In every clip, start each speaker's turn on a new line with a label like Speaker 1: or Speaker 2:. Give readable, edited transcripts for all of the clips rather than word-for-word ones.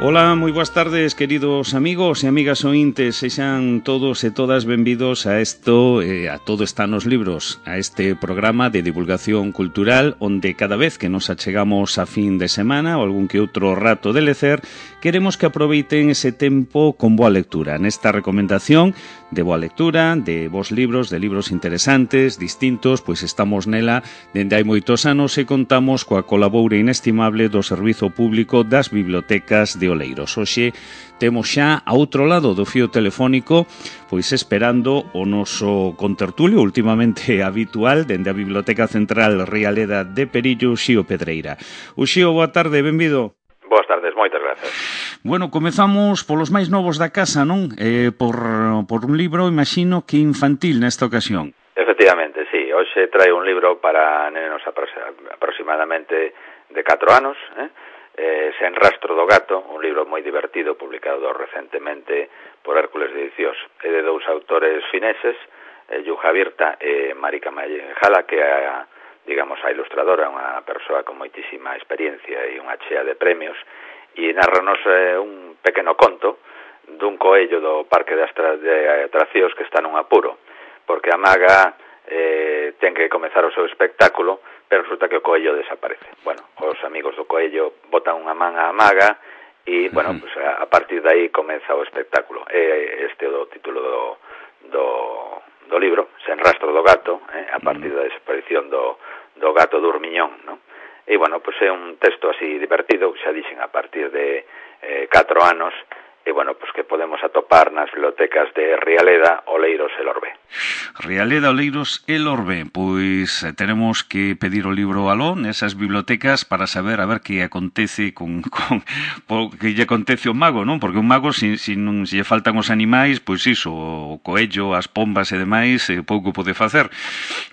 Speaker 1: Ola, moi boas tardes, queridos amigos e amigas ointes. Sexan todos e todas benvidos a isto, a Todo está nos libros, a este programa de divulgación cultural onde cada vez que nos achegamos a fin de semana ou algún que outro rato de lecer, queremos que aproveiten ese tempo con boa lectura. Nesta recomendación de boa lectura, de bons libros, de libros interesantes, distintos, pois estamos nela dende hai moitos anos e contamos coa colaboura inestimable do Servizo Público das Bibliotecas de Oleiros. Hoxe temos xa a outro lado do fío telefónico, pois esperando o noso contertulio últimamente habitual dende a Biblioteca Central Rialeda de Perillo, Uxío Pedreira. Uxío, boa tarde, benvido.
Speaker 2: Boas tardes, moitas gracias.
Speaker 1: Bueno, comezamos polos máis novos da casa, non? Por un libro, imagino que infantil nesta ocasión.
Speaker 2: Efectivamente, sí. Hoxe trae un libro para nenos aproximadamente de 4 anos, Sen rastro do gato, un libro moi divertido publicado recentemente por Hércules de Edicións. É de dous autores fineses, Juha Virta e Marika Majala, que é digamos, a ilustradora, unha persoa con moitísima experiencia e unha chea de premios, e narranos un pequeno conto dun coello do Parque de Atraccións que está nun apuro, porque a maga ten que comezar o seu espectáculo, pero resulta que o coello desaparece. Bueno, os amigos do coello botan unha man á maga e, bueno, pues a partir de aí comeza o espectáculo. Este é o título do libro, Sen rastro do gato, a partir da desaparición do gato Durmiñón, non? E, bueno, pois é un texto así divertido, xa dixen, a partir de 4 anos, e, bueno, pois que podemos atopar nas bibliotecas de Rialeda, Oleiros e Lorbe.
Speaker 1: Rialeda, Oleiros e Lorbe, pois tenemos que pedir o libro aló nesas bibliotecas para saber a ver que acontece que lle acontece ao mago, non? Porque un mago, se non lle faltan os animais, pois iso, o coello, as pombas e demais, pouco pode facer.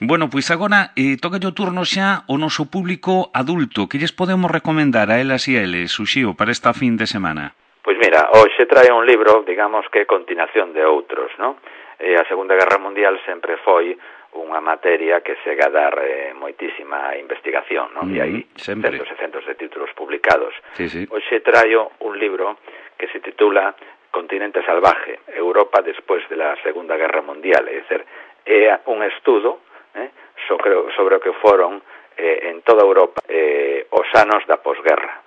Speaker 1: Bueno, pois agora toca o turno xa o noso público adulto. Que lles podemos recomendar a elas e a eles, Uxío, para esta fin de semana?
Speaker 2: Pois mira, hoxe trae un libro, digamos que continuación de outros, non? A Segunda Guerra Mundial sempre foi unha materia que sega a dar moitísima investigación, non? E hai centos e centos de títulos publicados.
Speaker 1: Sí.
Speaker 2: Hoxe traio un libro que se titula Continente salvaje, Europa despois de la Segunda Guerra Mundial, é dizer, é un estudo sobre o que foron en toda Europa os anos da posguerra.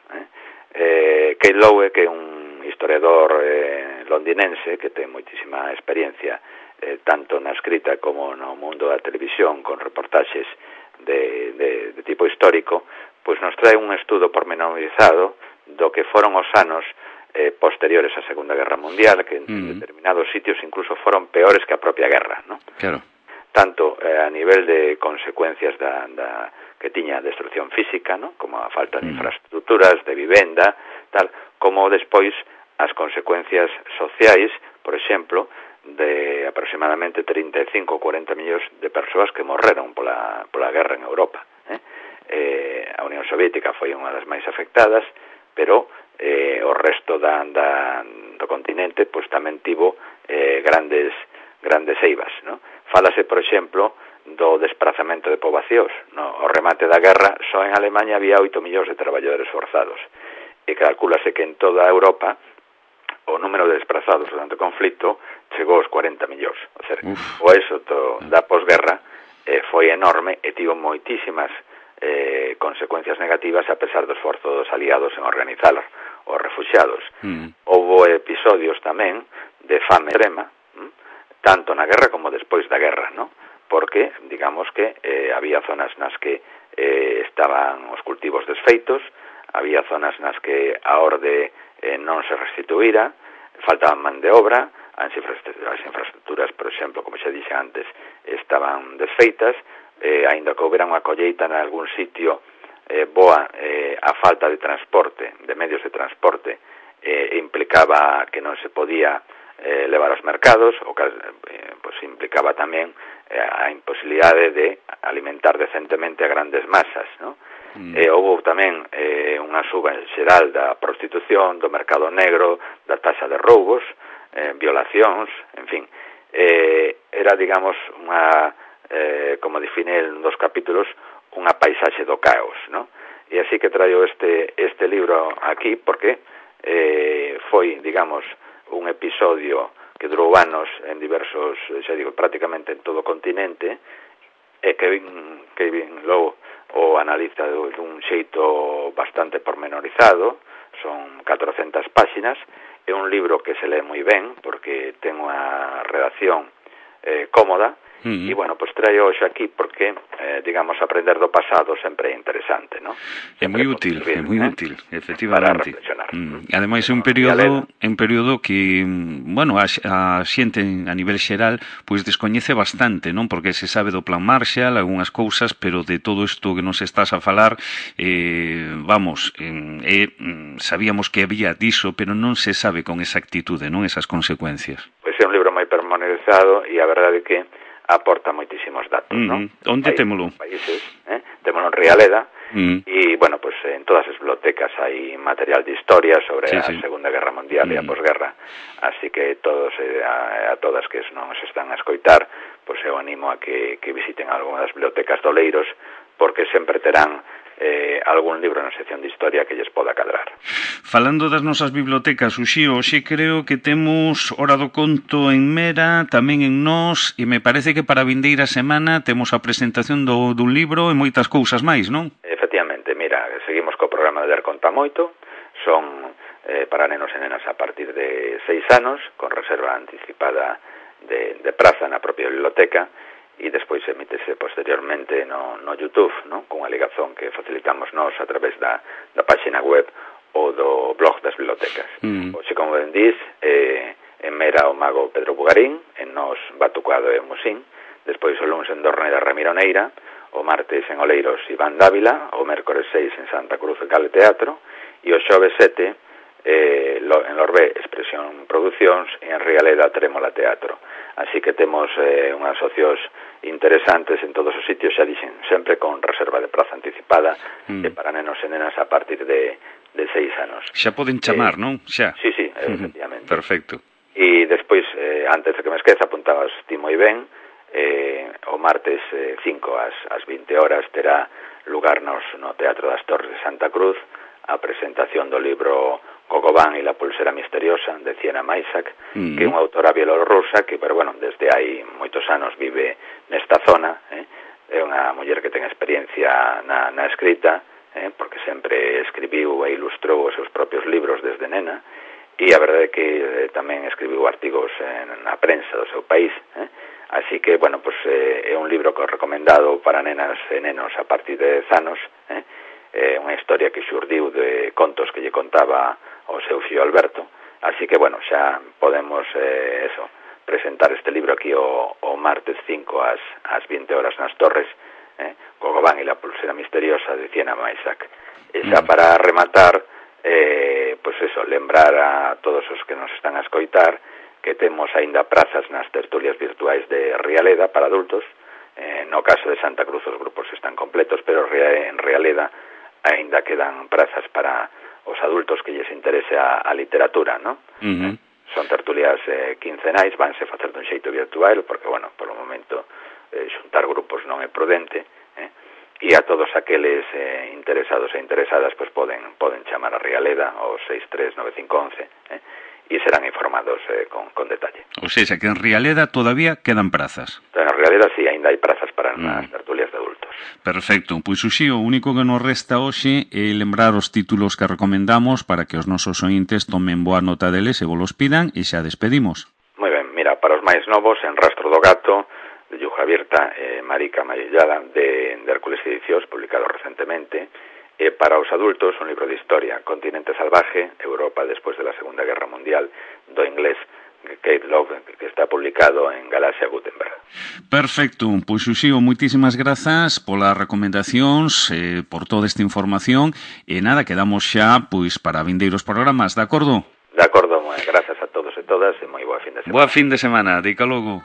Speaker 2: Kate Lowe, que é un historiador londinense que ten moitísima experiencia tanto na escrita como no mundo da televisión con reportaxes de tipo histórico, pois nos trae un estudo pormenorizado do que foron os anos posteriores á Segunda Guerra Mundial, que en determinados sitios incluso foron peores que a propia guerra, non?
Speaker 1: Claro.
Speaker 2: Tanto a nivel de consecuencias que tiña a destrucción física, ¿no? Como a falta de infraestructuras, de vivenda, tal, como despois as consecuencias sociais, por exemplo, de aproximadamente 35 ou 40 millóns de persoas que morreron pola guerra en Europa. A Unión Soviética foi unha das máis afectadas, pero o resto do continente pois tamén tivo grandes eivas, ¿no? Fálase, por exemplo, do desprazamento de poboacións. No o remate da guerra, só en Alemanha había 8 millóns de traballadores forzados. E calcúlase que en toda Europa o número de desplazados durante o conflito chegou aos 40 millóns. O sea, o éxito da posguerra foi enorme e tivo moitísimas consecuencias negativas a pesar do esforzo dos aliados en organizar os refuxiados. Houbo episodios tamén de fame extrema, tanto na guerra como despois da guerra, ¿no? Porque, digamos que había zonas nas que estaban os cultivos desfeitos, había zonas nas que a orde non se restituíra, faltaban man de obra, as infraestructuras, por exemplo, como xa dixe antes, estaban desfeitas, aínda que houbera unha colleita en algún sitio boa, a falta de transporte, de medios de transporte, implicaba que non se podía levar aos mercados, o que pues, implicaba tamén a imposibilidade de alimentar decentemente a grandes masas, ¿no? Houve tamén unha suba xeral da prostitución, do mercado negro, da taxa de roubos, violacións, en fin. Era, digamos, unha, como define en dos capítulos, unha paisaxe do caos, ¿no? E así que traio este libro aquí porque foi, digamos, un episodio que durou anos en diversos, xa digo, prácticamente en todo o continente, e Kevin Lowe o analiza dun xeito bastante pormenorizado, son 400 páxinas, é un libro que se lee moi ben, porque ten unha redacción cómoda, e, bueno, pois traio hoxe aquí porque, digamos, aprender do pasado sempre é interesante, ¿no?
Speaker 1: É moi útil, efectivamente.
Speaker 2: Para reflexionar.
Speaker 1: Ademais, é un período que, bueno, a xente a nivel xeral, pois descoñece bastante, non? Porque se sabe do Plan Marshall, algunhas cousas, pero de todo isto que nos estás a falar, sabíamos que había diso, pero non se sabe con exactitude, non? Esas consecuencias.
Speaker 2: Pois é un libro moi pormenorizado e a verdade é que aporta moitísimos datos, non?
Speaker 1: Onde témolo?
Speaker 2: Países, témolo en Rialeda, e, bueno, pues en todas as bibliotecas hai material de historia sobre a Segunda Guerra Mundial e a posguerra, así que todos a todas que non se están a escoitar, pues eu animo a que visiten algunha das bibliotecas de Oleiros, porque sempre terán algún libro na sección de historia que lles poda cadrar.
Speaker 1: Falando das nosas bibliotecas, Uxío, hoxe creo que temos Hora do Conto en Mera, tamén en Nós, e me parece que para a vindeira semana temos a presentación dun libro e moitas cousas máis, non?
Speaker 2: Efectivamente, mira, seguimos co programa de Ler Conta Moito, son para nenos e nenas a partir de 6 anos, con reserva anticipada de praza na propia biblioteca, e despois emítese posteriormente no YouTube, non? Cunha ligazón que facilitamos nós a través da página web ou do blog das bibliotecas. Oxe, como ben dís, en Mera o mago Pedro Bugarín, en Nós Batucado e Musín, despois o lunes en Dorneda Ramiro Neira, o martes en Oleiros Iván Dávila, o mércores 6 en Santa Cruz de Cale Teatro, e o xoves 7 en Lorbé Expresión Producións e en Rialeda Trémola Teatro. Así que temos unhas socios interesantes en todos os sitios, xa dixen, sempre con reserva de praza anticipada para nenos e nenas a partir de 6 anos.
Speaker 1: Xa poden chamar, non? Xa.
Speaker 2: Sí, efectivamente.
Speaker 1: Perfecto.
Speaker 2: E despois, antes de que me esqueza, apuntabas ti moi ben, o martes 5 ás 20 horas terá lugar no Teatro das Torres de Santa Cruz a presentación do libro Gogobán e la pulsera misteriosa de Siena Maisak, que é unha autora bielorrusa que, pero bueno, desde hai moitos anos vive nesta zona, é unha muller que ten experiencia na escrita, porque sempre escribiu e ilustrou os seus propios libros desde nena, e a verdade é que tamén escribiu artigos na prensa do seu país, así que, bueno, pues é un libro que recomendado para nenas e nenos a partir de 10 anos, unha historia que xurdiu de contos que lle contaba o seu fillo Alberto, así que, bueno, xa podemos presentar este libro aquí o martes 5 ás 20 horas nas Torres, Gogobán e la pulsera misteriosa de Siena Maisak. E xa para rematar, pues eso, lembrar a todos os que nos están a escoitar que temos aínda prazas nas tertulias virtuais de Rialeda para adultos. No caso de Santa Cruz os grupos están completos, pero en Rialeda aínda quedan prazas para os adultos que lles interese a literatura, ¿no? Son tertulias quincenais, vanse facer dun xeito virtual, porque, bueno, polo momento xuntar grupos non é prudente, e a todos aqueles interesados e interesadas pues poden chamar a Rialeda ao 6395111, e serán informados con detalle.
Speaker 1: O sea, que en Rialeda todavía quedan prazas.
Speaker 2: En Rialeda sí, ainda hai prazas para as tertulias de adultos.
Speaker 1: Perfecto, pois Uxío, o único que nos resta hoxe é lembrar os títulos que recomendamos para que os nosos ointes tomen boa nota deles e vos los pidan, e xa despedimos.
Speaker 2: Moi ben, mira, para os máis novos, En Rastro do Gato, de Yuja Virta, Marica Mayellada, de Hércules Edicións, publicado recentemente. Para os adultos, un libro de historia, Continente Salvaje, Europa despois de la Segunda Guerra Mundial, do inglés Kate Love, que está publicado en Galaxia Gutenberg.
Speaker 1: Perfecto, pois Uxío, moitísimas grazas polas recomendacións, por toda esta información, e nada, quedamos xa pois para vindeiros programas, de acordo?
Speaker 2: De acordo, grazas a todos e todas, e moi boa fin de semana.
Speaker 1: Boa fin de semana, dica logo.